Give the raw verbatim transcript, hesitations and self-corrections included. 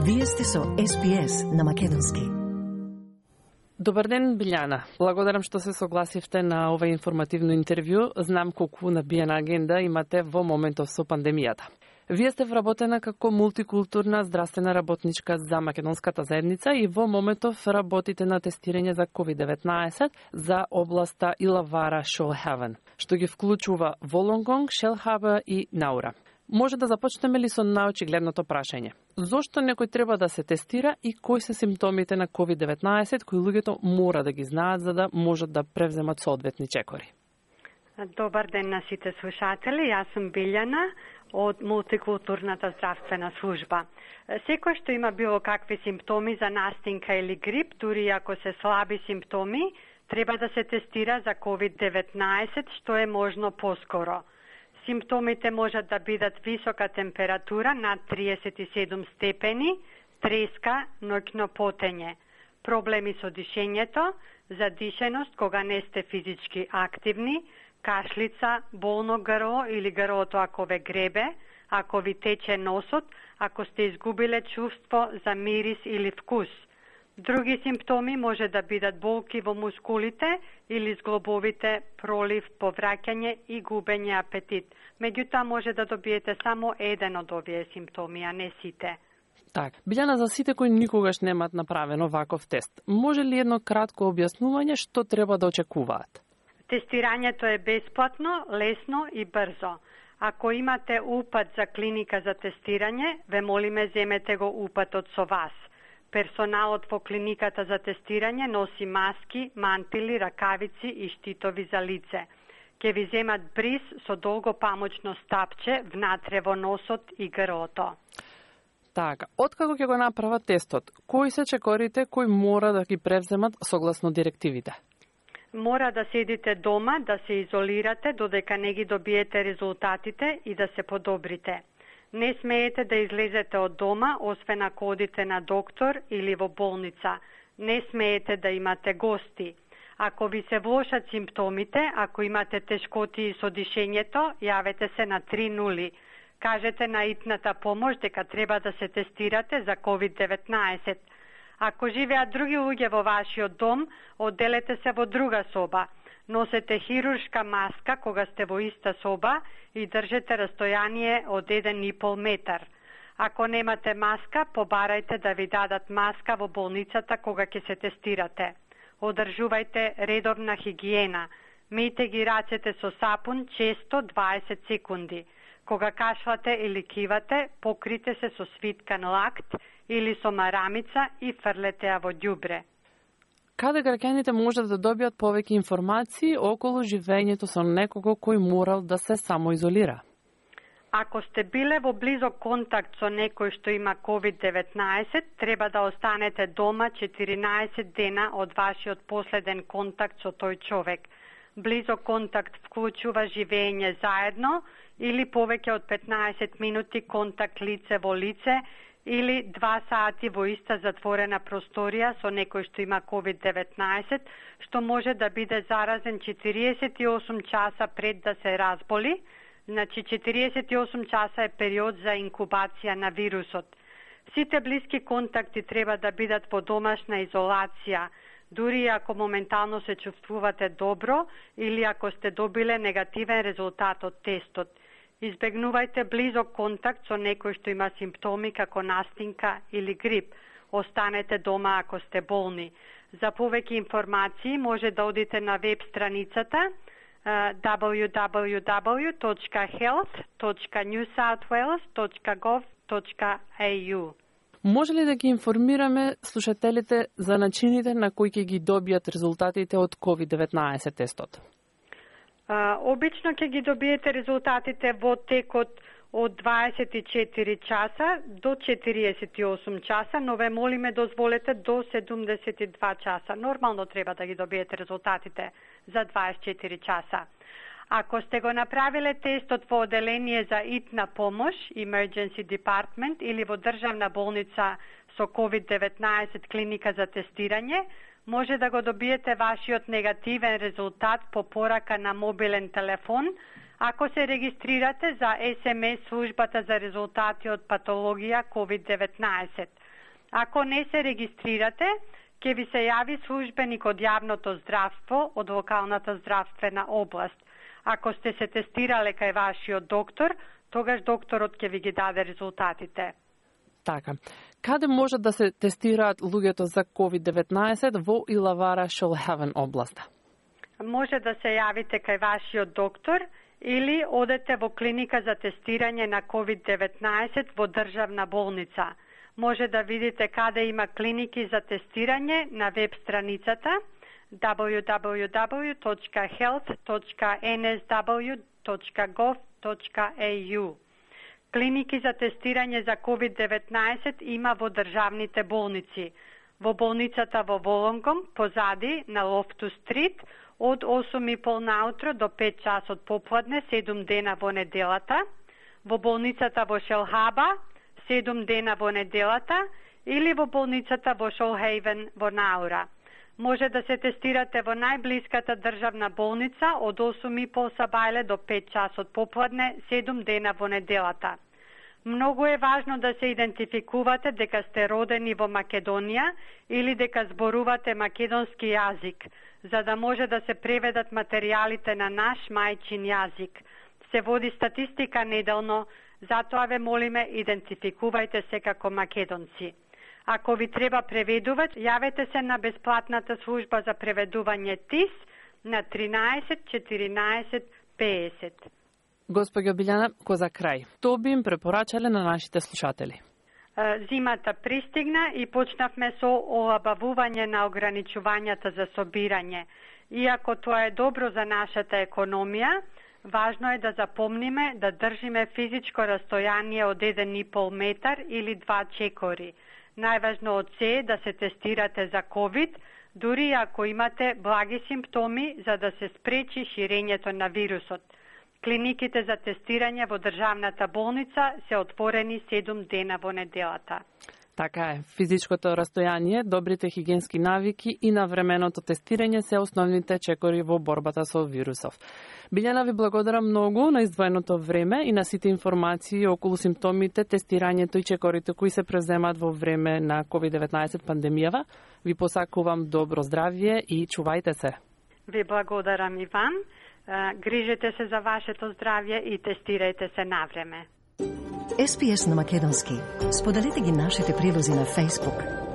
Вие сте со Ес Би Ес на македонски. Добар ден, Билјана. Благодарам што се согласивте на ова информативно интервју. Знам колку набиена агенда имате во моментов со пандемијата. Вие сте вработена како мултикултурна здравствена работничка за македонската заедница и во моментов работите на тестирање за ковид деветнаесет за областа Илавара Шолхавен, што ги вклучува Волонгонг, Шелхаба и Наура. Може да започнеме ли со наочигледното прашање? Зошто некој треба да се тестира и кои се симптомите на ковид деветнаесет кои луѓето мора да ги знаат за да можат да превземат соодветни чекори? Добар ден на сите слушатели, јас сум Билјана од мултикултурната здравствена служба. Секој што има било какви симптоми за настинка или грип, дури ако се слаби симптоми, треба да се тестира за ковид деветнаесет што е можно поскоро. Симптомите можат да бидат висока температура над триесет и седум степени, треска, ноќно потење, проблеми со дишењето, задишеност кога не сте физички активни, кашлица, болно грло или грлото ако ве гребе, ако ви тече носот, ако сте изгубиле чувство за мирис или вкус. Други симптоми може да бидат болки во мускулите или зглобовите, пролив, повраќање и губење апетит. Меѓутоа може да добиете само еден од овие симптоми, а не сите. Так, Билјана, за сите кои никогаш немаат направено ваков тест, може ли едно кратко објаснување што треба да очекуваат? Тестирањето е бесплатно, лесно и брзо. Ако имате упат за клиника за тестирање, ве молиме земете го упатот со вас. Персоналот во клиниката за тестирање носи маски, мантили, ракавици и штитови за лице. Ке ви земат бриз со долго памучно стапче внатре во носот и грлото. Така, откако ќе го направат тестот, кои се чекорите кои мора да ги превземат согласно директивите? Мора да седите дома, да се изолирате додека не ги добиете резултатите и да се подобрите. Не смеете да излезете од дома, освен ако одите на доктор или во болница. Не смеете да имате гости. Ако ви се влошат симптомите, ако имате тешкоти со дишењето, јавете се на три нули. Кажете на итната помош дека треба да се тестирате за ковид деветнаесет. Ако живеат други луѓе во вашиот дом, одделете се во друга соба. Носете хируршка маска кога сте во иста соба и држете растојание од еден и пол метар. Ако немате маска, побарајте да ви дадат маска во болницата кога ќе се тестирате. Одржувајте редовна хигиена. Мијте ги рацете со сапун често дваесет секунди. Кога кашлате или кивате, покрите се со свиткан лакт или со марамица и фрлете ја во ѓубре. Каде граѓаните можат да добијат повеќе информации околу живењето со некого кој морал да се самоизолира? Ако сте биле во близок контакт со некој што има ковид деветнаесет, треба да останете дома четиринаесет дена од вашиот последен контакт со тој човек. Близок контакт вклучува живење заедно или повеќе од петнаесет минути контакт лице во лице или два сати во иста затворена просторија со некој што има ковид деветнаесет, што може да биде заразен четириесет и осум часа пред да се разболи. Значи четириесет и осум часа е период за инкубација на вирусот. Сите блиски контакти треба да бидат во домашна изолација, дури ако моментално се чувствувате добро или ако сте добиле негативен резултат од тестот. Избегнувајте близок контакт со некој што има симптоми како настинка или грип. Останете дома ако сте болни. За повеќе информации може да одите на веб страницата дабл ю дабл ю дабл ю точка хелт точка нью саут вејлс точка гов точка ей ю. Може ли да ги информираме слушателите за начините на кои ќе ги добијат резултатите од ковид деветнаесет тестот? Uh, обично ќе ги добиете резултатите во текот од дваесет и четири часа до четириесет и осум часа, но ве молиме дозволете до седумдесет и два часа. Нормално треба да ги добиете резултатите за дваесет и четири часа. Ако сте го направиле тестот во оделение за итна помош, Emergency Department, или во државна болница со ковид деветнаесет клиника за тестирање, може да го добиете вашиот негативен резултат по порака на мобилен телефон, ако се регистрирате за ес ем ес службата за резултати од патологија ковид деветнаесет. Ако не се регистрирате, ќе ви се јави службеник од јавното здравство од локалната здравствена област. Ако сте се тестирале кај вашиот доктор, тогаш докторот ќе ви ги даде резултатите. Така. Каде може да се тестираат луѓето за ковид деветнаесет во Илавара, Шолхевен област? Може да се јавите кај вашиот доктор или одете во клиника за тестирање на ковид деветнаесет во државна болница. Може да видите каде има клиники за тестирање на веб страницата дабл ю дабл ю дабл ю точка хелт точка ен ес дабл ю точка гов точка е ю. Клиники за тестирање за ковид деветнаесет има во државните болници. Во болницата во Волонгом, позади на Лофту Стрит, од осум и пол наутро до пет часот попладне, седум дена во неделата. Во болницата во Шелхаба, седум дена во неделата, или во болницата во Шолхейвен во Наура. Може да се тестирате во најблиската државна болница од осум и пол сабајле до пет часот попладне, седум дена во неделата. Многу е важно да се идентификувате дека сте родени во Македонија или дека зборувате македонски јазик, за да може да се преведат материјалите на наш мајчин јазик. Се води статистика неделно, затоа ве молиме, идентификувајте се како македонци. Ако ви треба преведувач, јавете се на бесплатната служба за преведување ТИС на тринаесет четиринаесет педесет. Господја Билјана, ко за крај, што би им препорачале на нашите слушатели? Зимата пристигна и почнавме со олабавување на ограничувањата за собирање. Иако тоа е добро за нашата економија, важно е да запомниме да држиме физичко растојание од еден и пол метар или два чекори. Најважно од се е да се тестирате за ковид, дури ако имате благи симптоми, за да се спречи ширењето на вирусот. Клиниките за тестирање во државната болница се отворени седум дена во неделата. Така е, физичкото растојание, добрите хигиенски навики и навременото тестирање се основните чекори во борбата со вирусов. Билјана, ви благодарам многу на издвоеното време и на сите информации околу симптомите, тестирањето и чекорите кои се преземат во време на ковид деветнаесет пандемијава. Ви посакувам добро здравје и чувајте се. Ви благодарам, Иван. Грижете се за вашето здравје и тестирајте се навреме. Ес Би Ес на македонски. Споделете ги нашите прилози на Facebook.